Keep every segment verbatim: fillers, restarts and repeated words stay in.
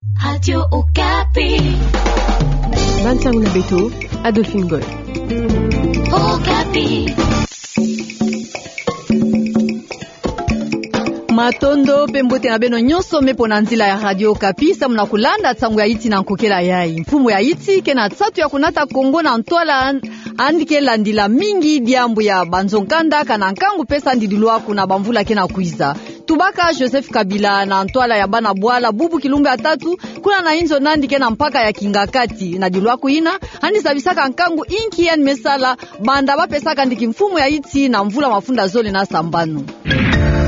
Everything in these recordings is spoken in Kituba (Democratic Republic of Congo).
Radio Okapi. Bansango na beto, Adolphine Goy. Okapi. Matondo mpe mbote na beno nyonso me pona nzila ya Radio Okapi, samu na kulanda nsangu ya inti na nkokela yayi. Mfumu ya inti ke na nsatu ya kunata Kongo na ntwala andi ke landila mingi diambu ya banzo-nkanda kana nkangu mpe sandililwaku na bamvula ke na kwiza. Tubaka Joseph Kabila na ntwala ya bana bwala bubu kilumbu ya tatu, kuna na inzo nandi ke na mpaka ya kingakati. Na dilwaku ina, andi zabisaka nkangu inki andi me sala, banda ba pesaka ndi kimfumu ya inti na mvula mafunda zole na sambanu.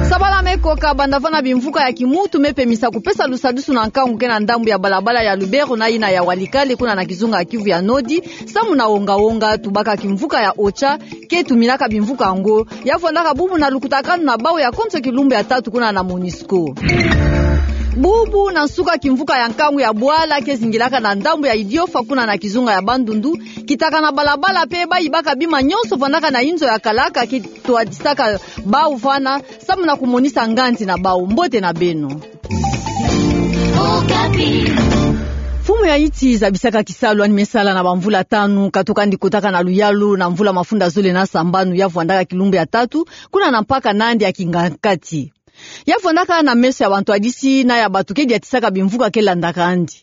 Sabala me koka banda vana bimvuka ya kimuntu me pemisa kupesa lusadusu na nkangu ke na ndambu ya balabala ya Lubero na ina ya Walikale kuna na kizunga ya Kivu ya Nodi, samu na wonga-wonga. Tubaka kimvuka ya OCHA, ke tuminaka bimvuka yango, ya vwandaka bubu na lukutakanu na bawu ya konso kilumbu ya tatu kuna na MONUSCO. Bubu na nsuka kimvuka ya nkangu ya bwala ke zingilaka na ndambu ya Idiofa kuna na kizunga ya Bandundu, kitaka na balabala mpe bayibaka bima nyonso vwandaka na inzo ya kalaka ke twadisaka bawu vana, samu na kumonisa nganzi na bawu. Mbote na beno. Mfumu ya inti zabisaka kisalu andi me sala na bamvula tanu, katuka andi kotaka na luyalu na mvula mafunda zole na sambanu ya vwandaka kilumbu ya tatu, kuna na mpaka nandi ya kingakati. Ya vwandaka na meso ya bantwadisi na ya bato ke diatisaka bimvuka ke landaka andi.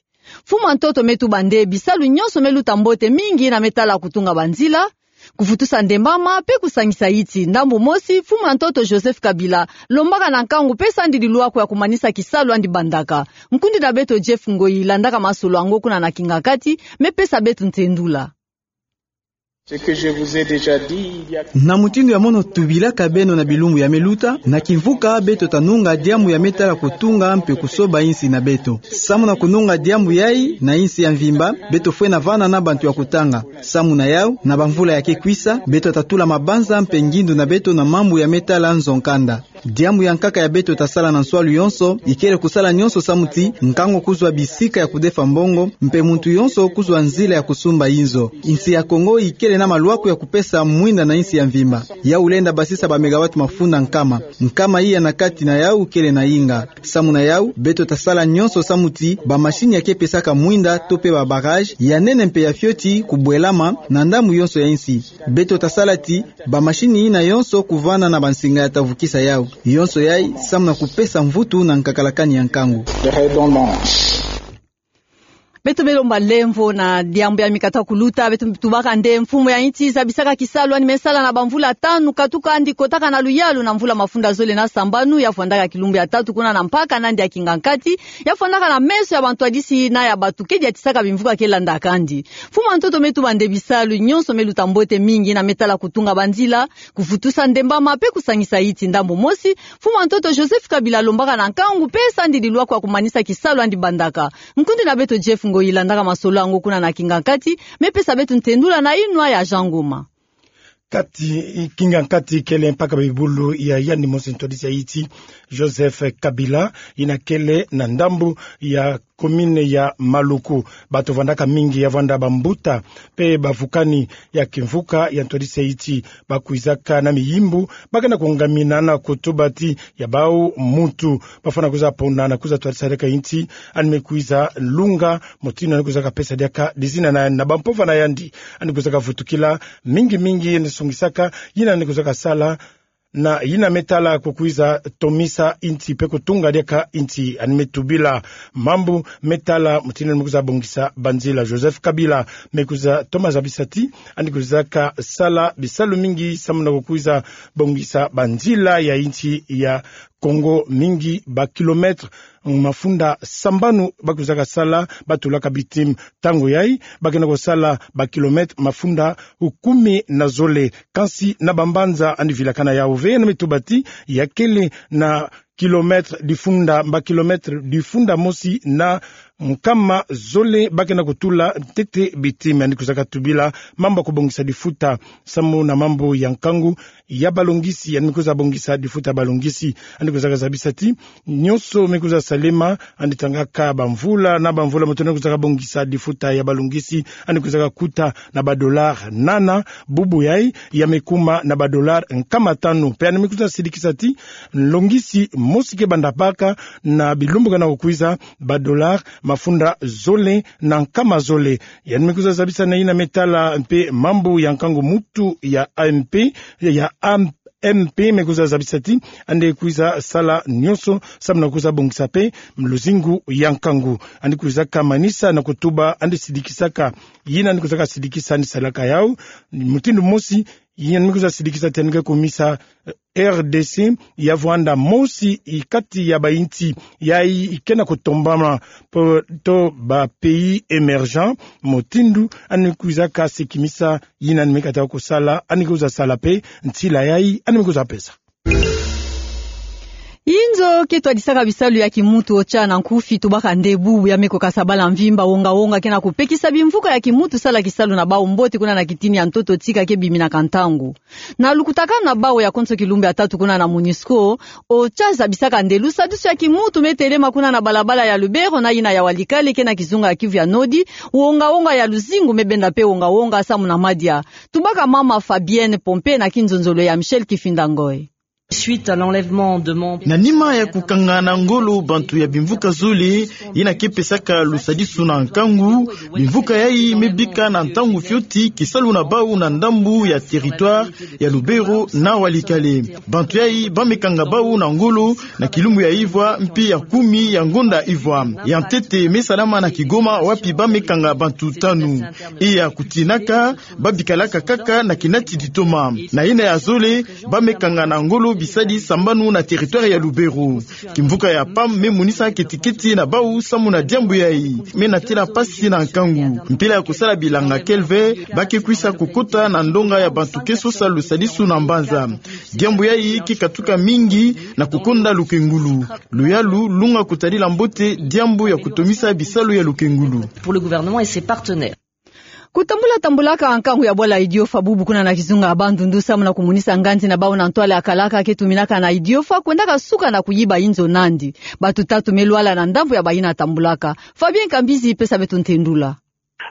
Mfumu ya ntoto me tuba nde bisalu nyonso me luta mbote mingi na me tala kutunga banzila, kuvutusa ndembama, mpe kusangisa inti. Ndambu mosi, mfumu ya ntoto Joseph Kabila lombaka na nkangu mpe sandililwaku ya kumanisa kisalu andi bandaka. Nkundi na beto Jeff Ngoyi landaka masolo yango kuna na kingakati, me pesa beto ntendula. Ce que je vous ai déjà dit, il y a... Na mutindu ya mono tubilaka beno na bilumbu ya me luta, na kimvuka beto tanunga diambu ya me tala kutunga mpe kusoba insi na beto. Samu na kununga diambu yayi na insi ya mvimba, beto fwena vana na bantu ya kutanga. Samu na yawu, na bamvula ya ke kwisa, beto tatula mabanza mpe ngindu na beto na mambu ya me tala nzo-nkanda. Diambu ya nkaka ya beto tasala na nswalu yonso, ikele kusala nyonso samu ti nkangu kuzwa bisika ya kudefa mbongo, mpe muntu yonso kuzwa nzila ya kusumba inzo. Insi ya Kongo ikele na malwaku ya kupesa mwinda na insi ya mvimba. Yawu lenda basisa ba mégawatts mafunda nkama. Nkama iya na kati na yawu kele na inga. Samu na yawu, beto tasala nyonso samu ti bamasini ya ke pesaka mwinda to mpe ba barrage ya nene mpe ya fioti kubwelama na ndambu yonso ya insi. Beto tasala ti bamasini yina yonso kuvana na bansinga ya tavukisa yawu. Yonso yayi samu na kupesa mvutu na nkakalakani ya nkangu. Beto me lomba lemvo na diambu ya mikata kuluta, beto tubaka nde mfumu ya inti zabisaka kisalu andi me sala na bamvula tanu, katuka andi kotaka na luyalu na mvula mafunda zole na sambanu, ya vwandaka kilumbu ya tatu kuna na mpaka nandi ya kingakati, ya vwandaka na meso ya bantwadisi na ya bato ke diatisaka bimvuka ke landaka andi. Mfumu ya ntoto me tuba nde bisalu nyonso me luta mbote mingi na me tala kutunga banzila, kuvutusa ndembama mpe kusangisa inti. Ndambu mosi, mfumu ya ntoto Joseph Kabila lombaka na nkangu mpe sandililwaku ya kumanisa kisalu andi bandaka. Nkundi na beto Jeff Ngoyi landaka masolo yango kuna na kingakati, me pesa beto ntendula na inwa ya Jean Ngoma. Kati, kingakati kele mpaka bibulu ya yandi mosi ntwadisi ya inti, Joseph Kabila, yina kele na ndambu ya commune ya Maluku. Bato vwandaka mingi, ya vwanda bambuta mpe bavukani ya kimvuka ya ntwadisi ya inti, bakwizaka na miyimbu, ba ke na kungamina na kutuba ti ya bawu muntu bafwana kwiza pona na kwiza twadisa diaka inti, andi me kwiza lunga mutindu andi kwizaka pesa diaka dizina na, na bampovana yandi andi kwizaka vutukila. Mingi mingi andi songisaka, yina andi kwizaka sala na yina me tala kukwiza tomisa inti mpe kutunga diaka inti. Andi me tubila mambu me tala mutindu andi me kwiza bongisa banzila. Joseph Kabila me kwiza toma zabisa ti andi kwizaka sala bisalu mingi samu na kukwiza bongisa banzila ya inti ya Kongo mingi, ba kilomètre mafunda sambanu ba kwizaka sala, ba tulaka bitume. Ntangu yayi ba ke na kusala ba kilomètre mafunda kumi na zole. Kansi na bambanza andi vilakana yawu ve, andi me tuba ti ya kele na kilomètre difunda, ba kilomètre difunda mosi na nkama zole ba ke na kutula ntete bitume. Andi kwizaka tubila mambu ya kubongisa difuta samu na mambu ya nkangu ya balongisi, andi me kwiza bongisa difuta ya balongisi. Andi kwizaka zabisa ti nyonso me kwiza salema, andi tangaka bamvula na bamvula, moto andi kwizaka bongisa difuta ya balongisi, andi kwizaka kuta na ba dollars nana, bubu yayi ya me kuma na ba dollars nkama tanu. Mpe andi me kwiza sidikisa ti longisi mosi ke banda baka na bilumbu ke na kukwiza, ba dollars mafunda zole na nkama zole. Yandi me kwiza zabisa na yina me tala mpe mambu ya nkangu mutu ya A M P, ya A M P me kwiza zabisa ti yandi kwiza sala nyonso samu na kwiza bongisa mpe luzingu ya nkangu. Yandi kwizaka manisa na kutuba yandi sidikisaka yina yandi kwizaka sidikisa yandi salaka yawu. Mutindu mosi, yina yandi me kwiza sidikisa ti yandi ke kumisa, eh, R D C ya vwanda mosi kati ya bayinsi yayi ke na kutombama po to ba pays émergents, mutindu yandi kwizaka sikimisa yina yandi me kata kusala, yandi kwiza sala mpe ntila yayi yandi me kwiza pesa. Inzo ke twadisaka bisalu ya kimutu OCHA na nkufi tubaka nde bubu ya me kukasa bala mvimba wonga-wonga ke na kupekisa bimvuka ya kimutu sala kisalu na bawu mbote kuna na kitini ya ntoto tika ke biminaka ntangu. Na lukutakanu na bawu ya konso kilumbu ya tatu kuna na MONUSCO, OCHA zabisaka nde lusadisu ya kimutu me telema kuna na balabala ya Lubero na yina ya Walikale ke na kizunga ya Kivu ya Nord, wonga-wonga ya luzingu me benda mpe wonga-wonga samu na madia. Tubaka mama Fabienne Pompée na kinzonzolo ya Michel Kifinda Ngoy. Suite à l'enlèvement de membres. Na nima ya kukanga na ngolo bantu ya bimvuka zole, yina ke pesaka lusadisu na nkangu, bimvuka yayi me bika na ntangu fioti kisalu na bawu na ndambu ya territoire ya Lubero na Walikale. Bantu yayi ba me kanga bawu na ngolo na kilumbu ya ivwa mpe ya kumi ya ngonda ivwa. Ya ntete me salama na Kigoma wapi ba me kanga bantu tanu. E ya kutinaka, ba bikalaka kaka na kinati ditoma. Na yina ya zole, ba me kanga na ngolo bisadi sambanu na territoire ya Lubero. Kimvuka ya PAM me monisa keti-keti na bawu samu na diambu yayi. Me natila mpasi na nkangu. Mpila ya kusala bilanga kelve, ba ke kwisa kukota na ndonga ya bantu ke sosa lusadisu na mbanza. Diambu yayi ke katuka mingi na kukonda lukengulu. Luyalu lunga kutadila mbote diambu ya kutomisa bisalu ya lukengulu. Pour le gouvernement et ses partenaires. Kutambula-tambulaka nkangu ya bwala Idiofa bubu kuna na kizunga ya Bandundu samu na kumonisa nganzi na bawu na ntwala ya kalaka ke tuminaka na Idiofa kwendaka suka na kuyiba inzo nandi. Bantu tatu me lwala na ndambu ya bayina tambulaka. Fabien Kambizi pesa beto ntendula.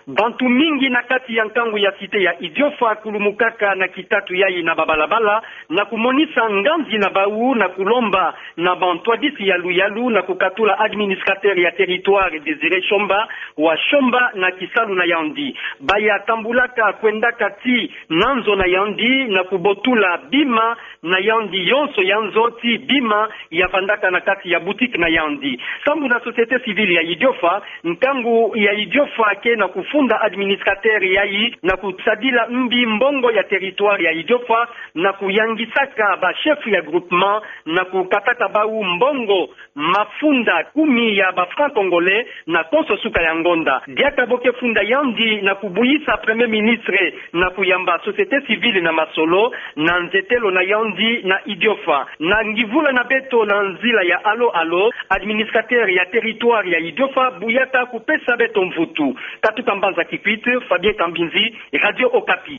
Bantu mingi na kati ya nkangu ya cité ya Idiofa kulumukaka na kitatu yayi na babalabala na kumonisa nganzi na bawu na kulomba na bantwadisi ya luyalu na kukatula administrateur ya territoire Désiré Shomba wa somba na kisalu na yandi. Baya tambulaka kwendaka tii na nzo na yandi na kubotula bima na yandi yonso ya nzo tii bima ya vandaka na kati ya boutique na yandi. Samu na société civile ya Idiofa, nkangu ya Idiofa ke na kufunda administrateur yayi na kusadila mbi mbongo ya territoire ya Idiofa na kuyangisaka ba chef ya groupement na kukataka bawu mbongo mafunda kumi ya ba francs congolais na konso suka ya ngonda. Diaka bo ke funda yandi na kubuyisa Premier Ministre na kuyamba société civile na masolo na nzetelo na yandi na Idiofa. Na ngivula na beto na nzila ya Allo Allo, administrateur ya territoire ya Idiofa buyaka kupesa beto mvutu. Katuka mbanza Kikwit, Fabien Kambinzi, Radio Okapi.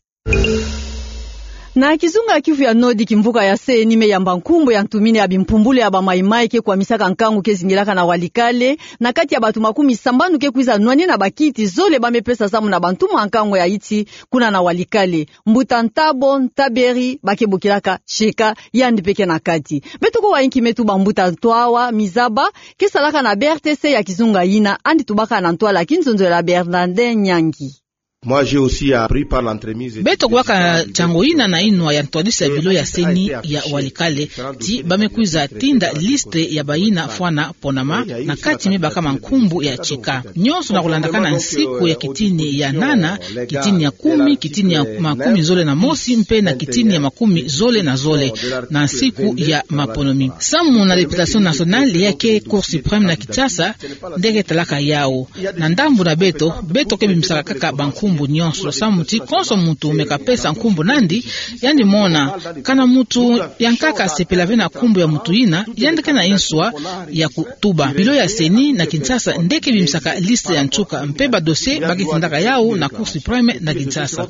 Na kizunga ya Kivu ya Nord, kimvuka ya C E N I me yamba nkumbu ya ntumini ya bimpumbulu ya ba Mai-Mai ke kwamisaka nkangu ke zingilaka na Walikale, na kati ya bantu makumi sambanu ke kwiza nwanina bakiti zole ba me pesa samu na bantu mwa nkangu ya iti kuna na Walikale. Mbuta Ntabo Ntaberi ba ke bokilaka Sheka, yandi mpe ke na kati. Beto kuwa inki me tuba mbuta Ntwawa Mizaba, ke salaka na B R T C ya kizunga yina, yandi tubaka na ntwala kinzonzolo ya Bernardin Nyangi. Moi, j'ai aussi appris par l'entremise. Beto kuwaka nsango yina na inwa ya ntwadisi ya bilo ya C E N I ya Walikale, ti ba me kwiza tinda liste ya bayina fwana ponama, na kati me bakama nkumbu ya Sheka. Nyonso na kulandakana nsiku ya kitini ya nana, kitini ya kumi, kitini ya makumi zole na mosi, mpe na kitini ya makumi zole na zole, na nsiku ya maponomi. Samu na Députation Nationale ya ke Cour Suprême na Kinshasa, nde ke talaka yawu. Na ndambu na beto, beto ke bimisaka kaka bankumbu nyonso. Samu ti konso muntu me kapesa nkumbu nandi, yandi mona. Kana muntu yankaka asepela ve na nkumbu ya muntu yina, yandi ke na inswa ya kutuba. Bilo ya C E N I na Kinshasa nde ke bimisaka liste ya nsuka, mpe ba dossier ba ke tindaka yawu na Cour Suprême na Kinshasa.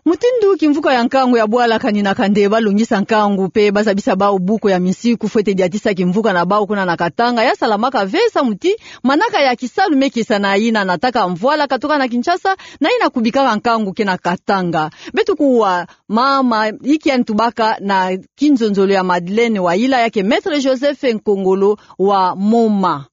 Mutindu kimvuka ya nkangu ya bwala kani na kande ba longisa nkangu mpe ba zabisa bawu buku ya minsiku fwete diatisa kimvuka na bawu kuna na Katanga, ya salamaka ve samu ti manaka ya kisalu me kiesa na yina nataka mvwala katuka na Kinshasa, na yina kubikaka nkangu ke na Katanga. Beto kuwa mama inki yandi tubaka na kinzonzolo ya Madeleine Wayila, ya ke Maître Joseph Nkongolo wa Moma.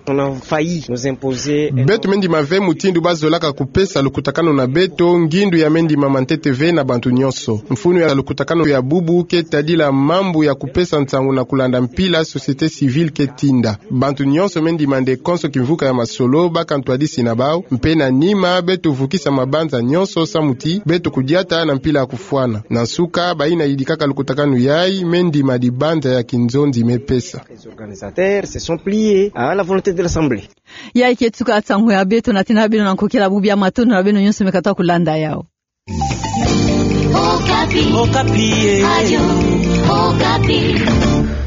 On a failli nous imposer un... Beto me ndima ve mutindu ba zolaka kupesa lukutakanu na beto, ngindu ya me ndima mantete ve na bantu nyonso. Mfunu ya lukutakanu ya bubu ke tadila mambu ya kupesa nsangu na kulanda mpila société civile ke tinda. Bantu nyonso me ndima nde konso kimvuka ya masolo, baka ntwadisi na bau, mpe na nima beto vukisa mabanza nyonso samu ti beto kudiata na mpila ya kufwana. Na nsuka, bayina yidikaka lukutakanu yayi, me ndima dibanza ya kinzonzi me pesa. Les organisateurs se sont pliés à la volonté de l'Assemblée. Yayi ke tuka nsangu ya beto, natina beno na nkokila bubu ya matondo na beno nyonso me katuka kulanda yawu. Okapi. Okapi, eh. Radio Okapi.